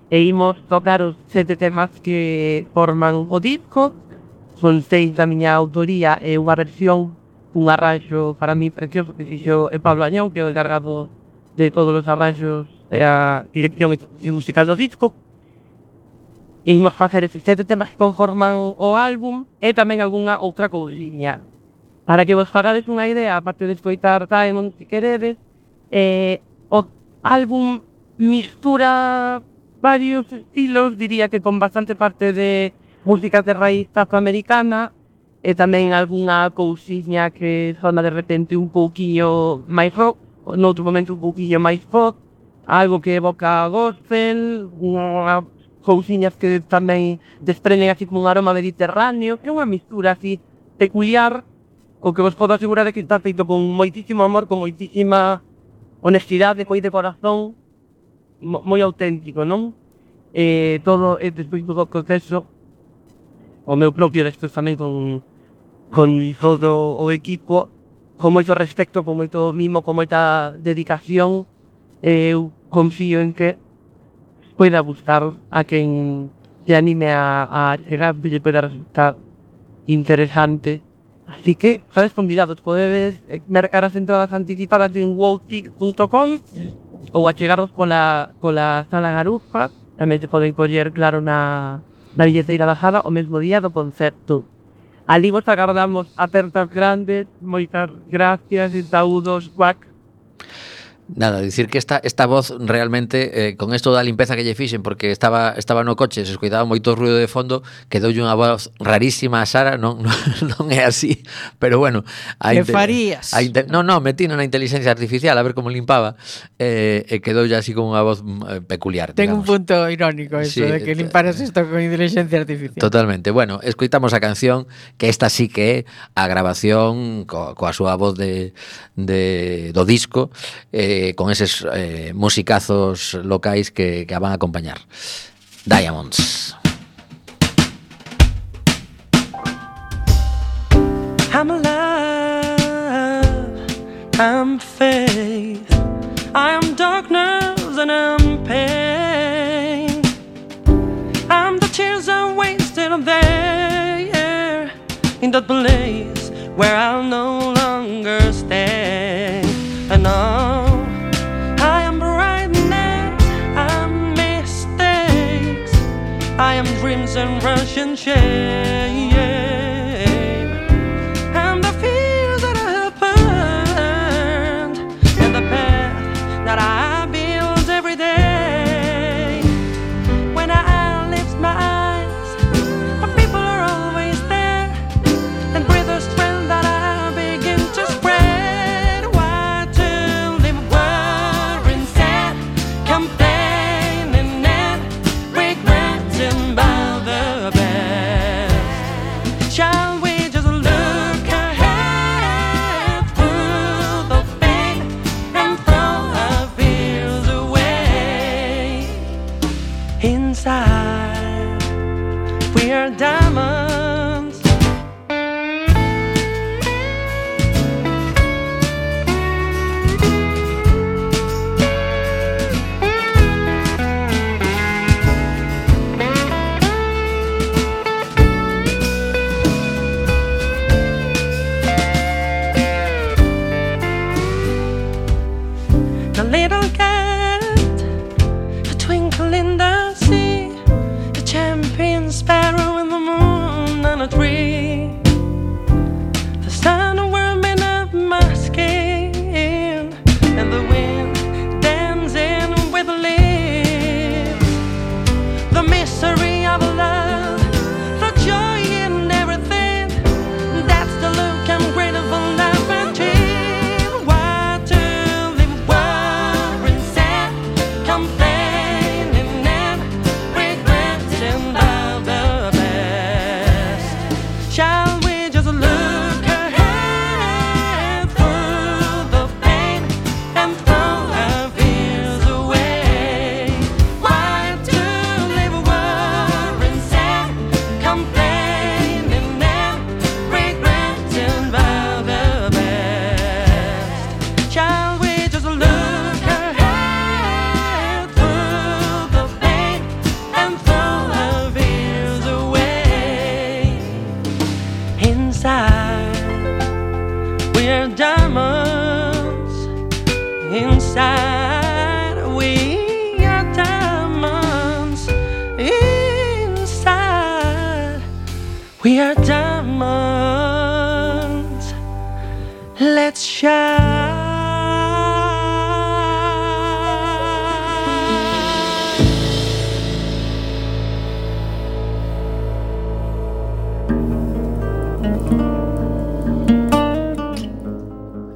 E imos tocar os 7 temas que forman o disco, son 6 da miña autoría e unha versión, un arranxo para mí precioso que fixo Pablo Añón, que é o encargado de todos os arranxos e a dirección musical do disco. E imos facer estes 7 temas que conforman o álbum e tamén algunha outra cousiña. Para que vos fagades unha idea, aparte de escoitar Diamond, se queredes, o álbum mistura varios estilos, diría que con bastante parte de música de raíz afroamericana e tamén algunha cousiña que sona de repente un pouquiño máis rock, noutro momento un pouquiño máis pop, algo que evoca gospel, unha cousiñas que tamén desprenden así como un aroma mediterráneo, que é unha mistura así peculiar, o que vos podo asegurar é que está feito con moitísimo amor, con moitísima honestidade, moi de corazón, moi auténtico, non? Todo, despois do proceso, o meu propio despois tamén con todo o equipo, con moito respecto, con moito mimo, con moita dedicación, eu confío en que poida gustar a quen se anime a chegar, que lle poida resultar interesante. Así que, sabes, convidados, podedes mercar as entradas anticipadas en wowtick.com ou achegaros pola sala Garufa. Tamén se poden coller, claro, na na Billeteira da Jara o mesmo día do concerto. Ali vos agardamos apertas grandes, moitas gracias e saúdos, guac. Nada, dicir que esta voz realmente con esto da limpeza que lle fixen, porque estaba no coche, se escoitaba moito ruido de fondo, quedoulle unha voz rarísima a Sara, non é así, pero bueno, Que farías? Non, metino na inteligencia artificial a ver como limpaba, e quedoulle así con unha voz peculiar. Ten un digamos. punto irónico eso, Sí, de que limparas isto con inteligencia artificial. Totalmente. Bueno, escoitamos a canción, que esta sí que é a grabación coa súa voz do disco, con eses musicazos locais que a van a acompañar. Diamonds. I'm alive, I'm faith, I'm darkness and I'm pain. I'm the tears I wasted there in that place where I'll no longer stay. And all I am brightness, I'm mistakes, I am dreams and rushing shame. And the fears that I have burned, and the path that I build every day. When I lift my eyes, the people are always there, and breathe the strength that I begin to spread. Why to live worrying, sad, complaining and regretting about the best? Shall we just look ahead through the pain and throw our fears away? Inside, we are diamonds. The little cat, a twinkle in the sea, a champion sparrow in the moon on a tree. The sun warming up my skin, and the wind dancing with the leaves. The mystery of love, the joy in everything, that's the look I'm grateful never achieve. Why to live worrying, sad, complaining and regretting about the best? Shall we just look ahead through the pain and throw our fears away? Why to live worrying, sad, complaining and regretting about the best? Shall we just look ahead through the pain and throw our fears away? Inside, we're diamonds. Inside, we are diamonds. Inside, we are diamonds. Let's shine.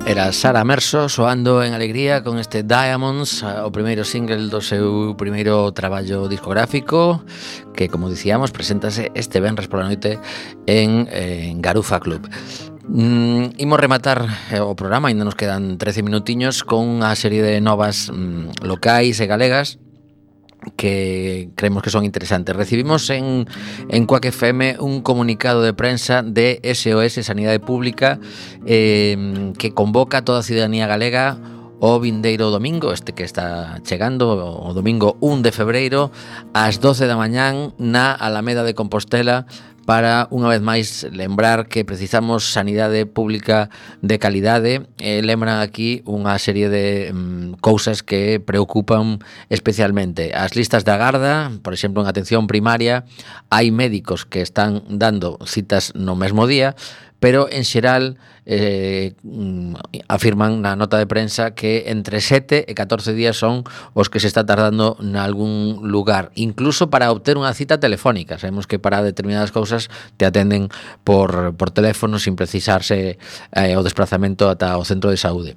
Era Sara Merso soando en alegría con este Diamonds, o primeiro single do seu primeiro traballo discográfico, que, como dicíamos, preséntase este venres pola noite en Garufa Club. Imos rematar o programa, ainda nos quedan 13 minutiños, con unha serie de novas locais e galegas que creemos que son interesantes. Recibimos en Quack FM un comunicado de prensa de SOS Sanidade Pública que convoca a toda a ciudadanía galega o vindeiro domingo, este que está chegando, o domingo 1 de febreiro, ás 12 da mañán na Alameda de Compostela, para, unha vez máis, lembrar que precisamos sanidade pública de calidade. Lembran aquí unha serie de cousas que preocupan especialmente. As listas de agarda, por exemplo, en atención primaria, hai médicos que están dando citas no mesmo día, pero en xeral afirman na nota de prensa que entre 7 e 14 días son os que se está tardando nalgún lugar, incluso para obter unha cita telefónica. Sabemos que para determinadas cousas te atenden por teléfono sin precisarse o desplazamento ata o centro de saúde.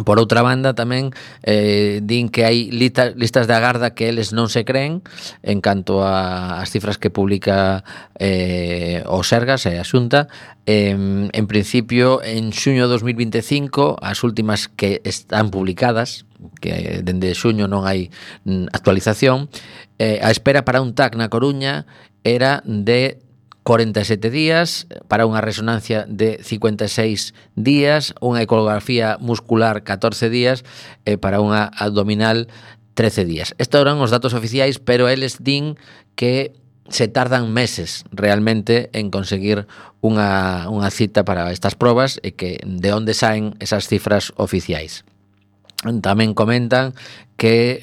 Por outra banda, tamén din que hai listas de agarda que eles non se creen en canto ás cifras que publica o Sergas e a Xunta. En principio, en xuño de 2025, as últimas que están publicadas, que dende xuño non hai actualización, a espera para un TAC na Coruña era de 47 días, para unha resonancia de 56 días, unha ecografía muscular 14 días e para unha abdominal 13 días. Estos eran os datos oficiais, pero eles din que se tardan meses realmente en conseguir unha cita para estas probas e que de onde saen esas cifras oficiais. Tamén comentan que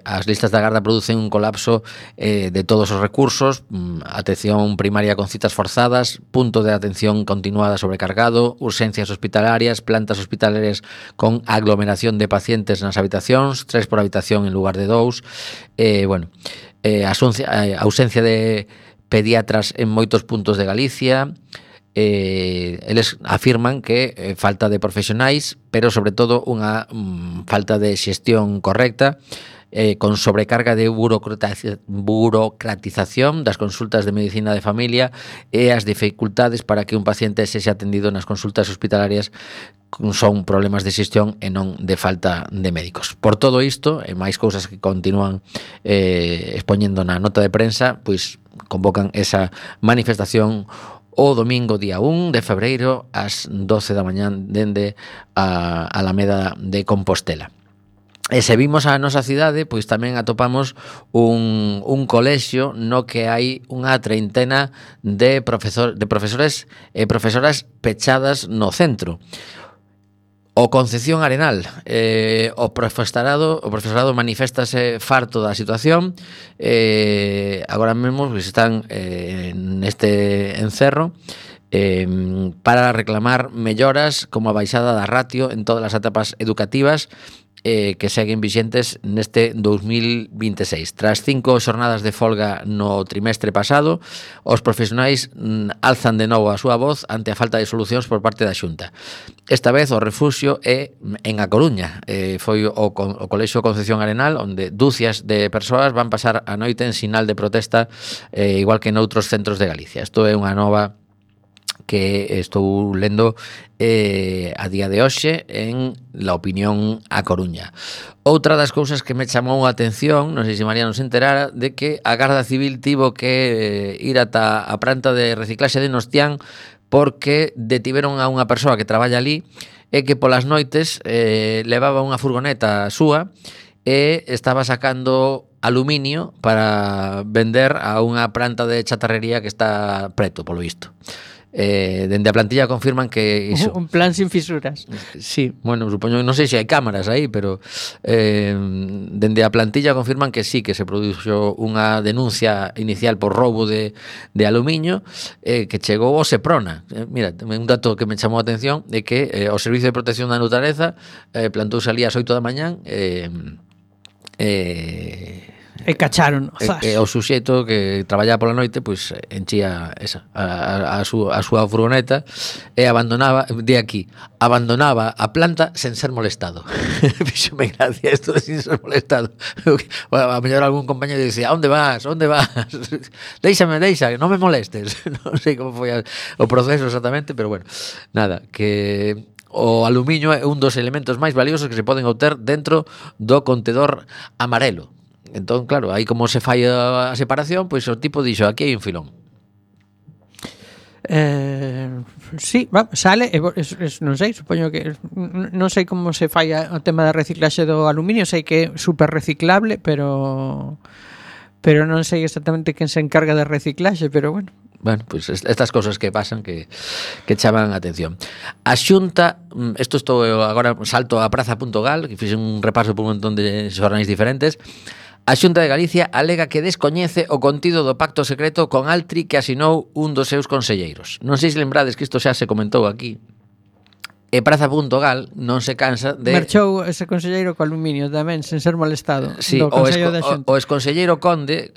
as listas de agarda producen un colapso de todos os recursos, atención primaria con citas forzadas, punto de atención continuada sobrecargado, urxencias hospitalarias, plantas hospitalarias con aglomeración de pacientes nas habitacións, 3 por habitación en lugar de 2, ausencia de pediatras en moitos puntos de Galicia. Eles afirman que falta de profesionais, pero sobre todo unha falta de xestión correcta, con sobrecarga de burocratización das consultas de medicina de familia e as dificultades para que un paciente sexa atendido nas consultas hospitalarias son problemas de xestión e non de falta de médicos. Por todo isto, e máis cousas que continúan expoñendo na nota de prensa, pois convocan esa manifestación o domingo día 1 de febreiro ás 12 da mañán dende a Alameda de Compostela. E se vimos a nosa cidade, pois tamén atopamos un colexio no que hai unha treintena de profesores e profesoras pechadas no centro. O Concepción Arenal, o profesorado maniféstase farto da situación. Agora mesmo pues, están neste encerro para reclamar melloras como a baixada da ratio en todas as etapas educativas que seguen vixentes neste 2026. Tras 5 xornadas de folga no trimestre pasado, os profesionais alzan de novo a súa voz ante a falta de solucións por parte da Xunta. Esta vez o refuxio é en A Coruña. Foi o Colexio Concepción Arenal, onde dúcias de persoas van pasar a noite en sinal de protesta, igual que noutros centros de Galicia. Isto é unha nova que estou lendo a día de hoxe en La Opinión A Coruña. Outra das cousas que me chamou a atención, non sei se María non se enterara, de que a Garda Civil tivo que ir ata a planta de reciclaxe de Nostián porque detiveron a unha persoa que traballa ali e que polas noites levaba unha furgoneta súa e estaba sacando aluminio para vender a unha planta de chatarrería que está preto, polo visto. Dende a plantilla confirman que iso. Un plan sin fisuras. Sí, bueno, supoño, non sei se hai cámaras aí, pero dende a plantilla confirman que sí, que se produxo unha denuncia inicial por roubo de aluminio que chegou ao Seprona. Mira, un dato que me chamou a atención é que o Servicio de Protección da Natureza plantouse ali ás 8 da mañán E cacharon, o suxeito que traballaba pola noite pois enchía esa a súa furgoneta e abandonaba a planta sen ser molestado. Fíxome gracia isto de sin ser molestado. A mellor algún compañero dicía: "Onde vas? Deixa, non me molestes." Non sei como foi o proceso exactamente, pero bueno, nada, que o aluminio é un dos elementos máis valiosos que se poden obter dentro do contedor amarelo. Entón, claro, aí como se fai a separación, pois o tipo dixo, aquí hai un filón. Sí, sale, non sei, supoño que non sei como se fai o tema da reciclaxe do aluminio, sei que é super reciclable, pero non sei exactamente quen se encarga de reciclaxe, pero bueno, Bueno, pues estas cosas que pasan que chaman a atención. A Xunta, isto estou agora salto a praza.gal, que fixe un repaso por un montón de xornais diferentes. A Xunta de Galicia alega que descoñece o contido do pacto secreto con Altri que asinou un dos seus conselleiros. Non sei se lembrades que isto xa se comentou aquí. E Praza.gal non se cansa de... Marchou ese conselleiro co aluminio tamén, sen ser molestado. Sí, do Consello da Xunta. o exconselleiro Conde,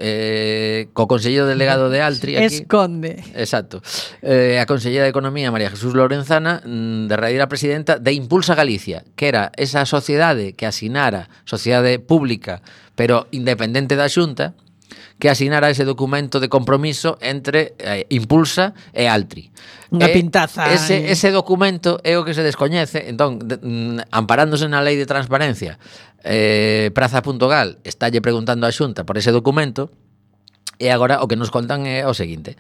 co conselleiro delegado de Altri aquí... Esconde. Exacto. A consellera de Economía, María Jesús Lorenzana, derradeira presidenta de Impulsa Galicia, que era esa sociedade que asinara, sociedade pública, pero independente da Xunta, que asinara ese documento de compromiso entre Impulsa e Altri. Unha pintaza. Ese documento é o que se descoñece. Entón, amparándose na lei de transparencia, Praza.gal estálle preguntando á Xunta por ese documento. E agora o que nos contan é o seguinte.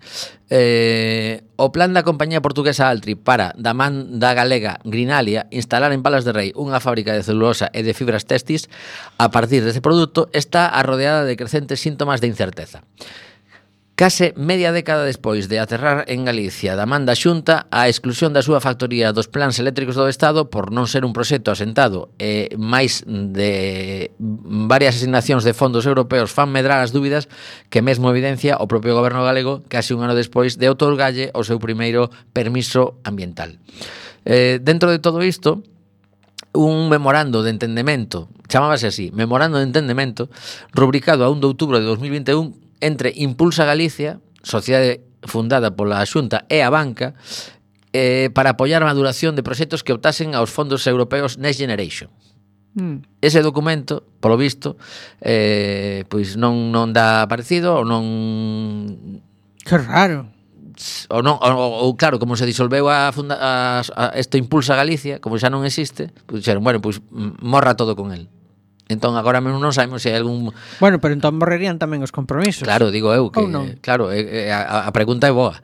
O plan da compañía portuguesa Altri para da man da galega Grinalia instalar en Palas de Rei unha fábrica de celulosa e de fibras textis a partir deste produto está arrodeada de crecentes síntomas de incerteza. Case media década despois de aterrar en Galicia da man da Xunta, a exclusión da súa factoría dos plans eléctricos do Estado por non ser un proxecto asentado e máis de varias asignacións de fondos europeos fan medrar as dúbidas que mesmo evidencia o propio goberno galego case un ano despois de outorgalle o seu primeiro permiso ambiental. Dentro de todo isto, un memorando de entendemento, chamábase así, memorando de entendemento, rubricado a 1 de outubro de 2021 entre Impulsa Galicia, sociedade fundada pola Xunta e a banca, para apoiar a maduración de proxectos que optasen aos fondos europeos Next Generation. Ese documento, polo visto, pois non dá parecido ou non... Que raro. Ou claro, como se disolveu este Impulsa Galicia, como xa non existe, pois dixeron, bueno, pois morra todo con el. Entón agora mesmo non sabemos se hai algún... Bueno, pero entón morrerían tamén os compromisos. Claro, digo eu que claro, a pregunta é boa.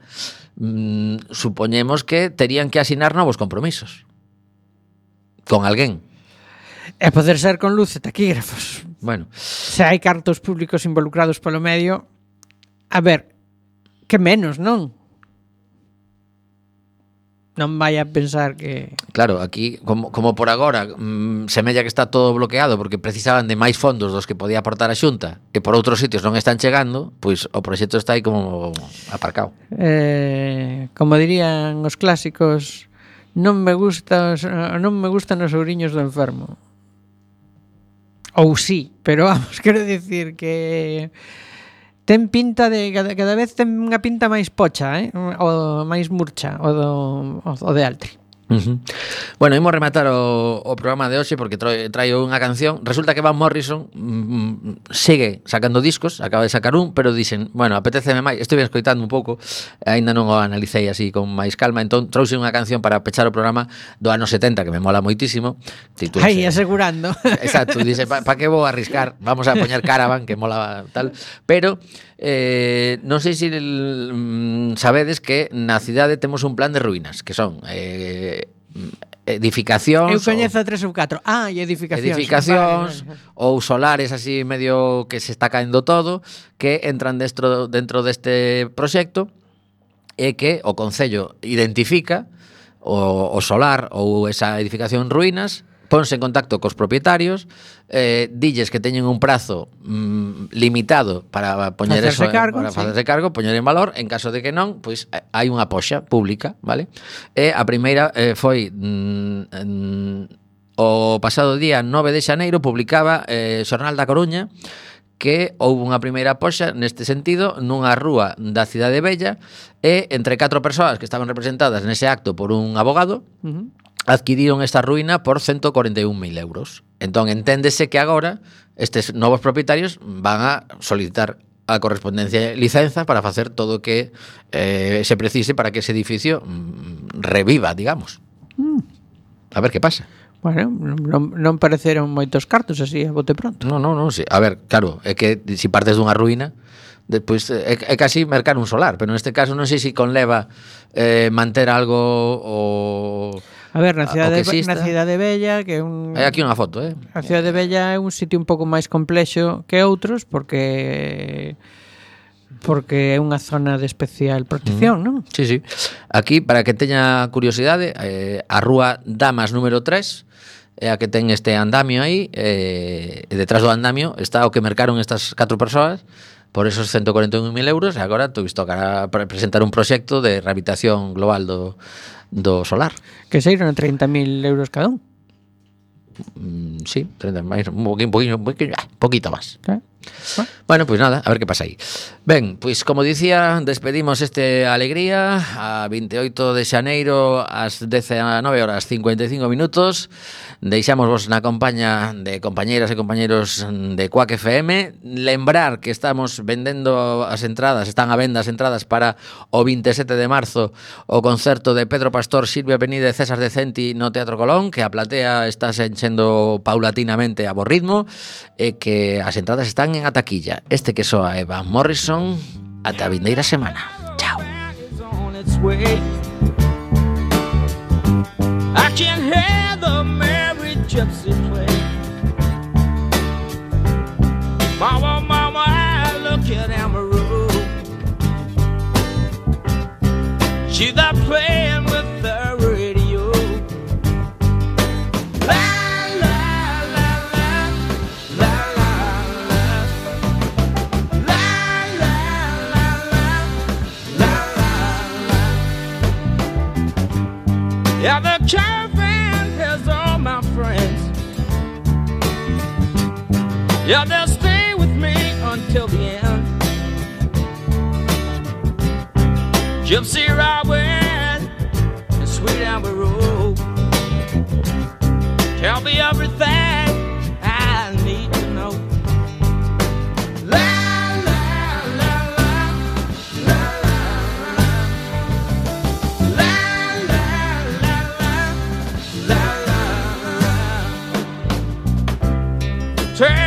Supoñemos que terían que asinar novos compromisos con alguén. E poder ser con luz e taquígrafos. Bueno, se hai cartos públicos involucrados polo medio, a ver, que menos, non? Non vai a pensar que... Claro, aquí, como por agora, semella que está todo bloqueado porque precisaban de máis fondos dos que podía aportar a Xunta e por outros sitios non están chegando, pois o proxecto está aí como aparcado. Como dirían os clásicos, non me gustan os ouriños do enfermo. Ou sí, pero vamos, quero dicir que... ten pinta de cada vez ten unha pinta máis pocha, o máis murcha o de Altri. Bueno, imos rematar o programa de hoxe porque traio unha canción. Resulta que Van Morrison sigue sacando discos, acaba de sacar un, pero dicen, bueno, apeteceme máis. Estou escoitando un pouco, aínda non o analicei así con máis calma, entón trouxe unha canción para pechar o programa do ano 70 que me mola moitísimo. Aí, asegurando. Exacto, dice, pa que vou arriscar? Vamos a poñer Caravan, que mola tal, pero non sei se sabedes que na cidade temos un plan de ruínas, que son edificacións. Eu coñezo 3 ou 4. E edificacións. Vale. Ou solares así medio que se está caendo todo, que entran dentro deste proxecto e que o Concello identifica o solar ou esa edificación en ruínas, ponse en contacto cos propietarios, dilles que teñen un prazo limitado para poñer facerse eso, cargo, para facerse cargo, poñer en valor. En caso de que non, pois hai unha poxa pública, vale? E a primeira foi o pasado día 9 de xaneiro publicaba Xornal da Coruña que houve unha primeira poxa neste sentido nunha rúa da Cidade Bella e entre 4 persoas que estaban representadas nese acto por un abogado adquiriron esta ruína por 141.000 euros. Entón, enténdese que agora estes novos propietarios van a solicitar a correspondencia licenza para facer todo o que se precise para que ese edificio reviva, digamos. A ver que pasa. Bueno, non pareceron moitos cartos así a bote pronto. Non, sí. A ver, claro, é que se partes dunha ruína, despois é casi mercar un solar, pero neste caso non sei se conleva manter algo o... A ver, na Cidade Bella, que é un... Hai aquí unha foto, A Cidade Bella é un sitio un pouco máis complexo que outros, porque porque é unha zona de especial protección, non? Sí, sí. Aquí, para que teña curiosidade, a rúa Damas número 3 é a que ten este andamio aí, e detrás do andamio está o que mercaron estas 4 persoas por esos 141.000 euros, e agora tocará presentar un proxecto de rehabilitación global do solar. Que saíron a 30.000 euros cada un. Sí, 30 máis, un poquito máis. Claro. Bueno, pois nada, a ver que pasa aí. Ben, pois como dicía, despedimos este Alegría a 28 de xaneiro ás 19:55. Deixamos vos na compaña de compañeiras e compañeiros de Quack FM. Lembrar que estamos vendendo as entradas, están a venda as entradas para o 27 de marzo o concerto de Pedro Pastor, Silvia Penide e César Decenti no Teatro Colón, que a platea está enchendo paulatinamente a bo ritmo e que as entradas están en a taquilla. Este que soa é Van Morrison. Ata a vindeira semana. Chao. I can hear the merry gypsy play. Mama, mama, I look at Amaru. She's there playing with the radio. La la la la, la la la, la la la la, la la la. Yeah, the caravan has all my friends. Yeah, they'll stay with me until the end. Gypsy Robin and Sweet Amber Road. Tell me everything I need to know. La la la la, la la la, la la la la, la la la.